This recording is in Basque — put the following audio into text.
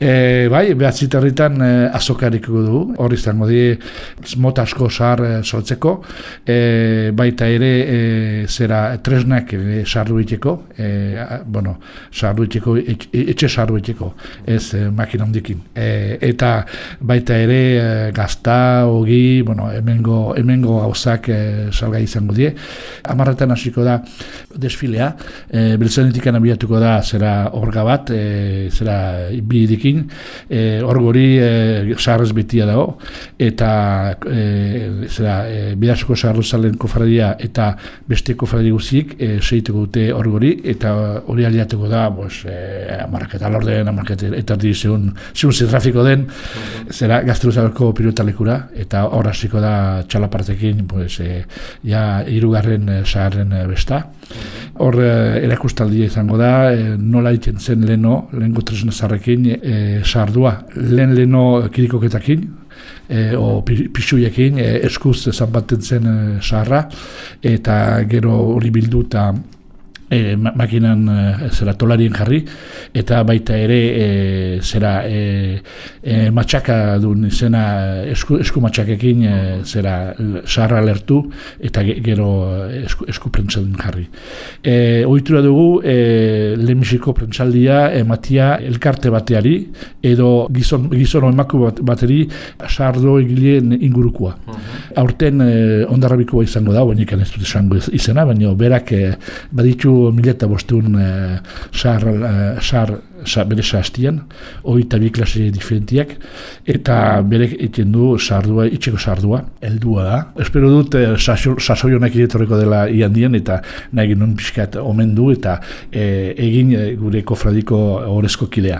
Bai, behatziterritan azokariko du, hori izango di mota asko sahar sortzeko, baita ere zera tresnak sarru iteko, etxe sarru iteko, ez makina hondikin. Eta baita ere gazta, ogi, hemengo gauzak salgai izango die. 10:00 hasiko da desfilea, Beltzainetik abiatuko da zera orga bat, zera bi dikin, orgori saharrez betia dago, eta Bidasoako saharruzalen kofradia eta beste kofradia guziek segituko dute orgori, eta hori aliatuko da 10:00 laurden, 10:30 segun trafiko den, zera Gazteluzako pilotalekura, eta hor hasiko da txalapartekin, ja 3. saharren besta. Hor erakustaldia izango da, nola egiten zen lehenko tresna zarrekin sardua. Leheno kirikoketakin, pixuiekin, eskuz zanbaten zen saharra, eta gero hori bildu eta makinan tolarien jarri, eta baita ere matxaka duen izena esku matxakekin saharra lertu, eta gero esku prentsalden jarri. Ohitura dugu lehenbiziko prentsaldia ematia elkarte bateari, edo gizon emaku bateri sardo egileen ingurukua. Aurten Hondarribikoa izango da, baina ez dut esango izena, baina berak baditu 1500 bere sahastian, 22 klase diferentiak, eta berek egiten du itxeko sardua, heldua da. Espero dut sasoi honak etorriko dela iandien, eta nahi genuen pixkat omen du, eta egin gure kofradiko horrezko kidea.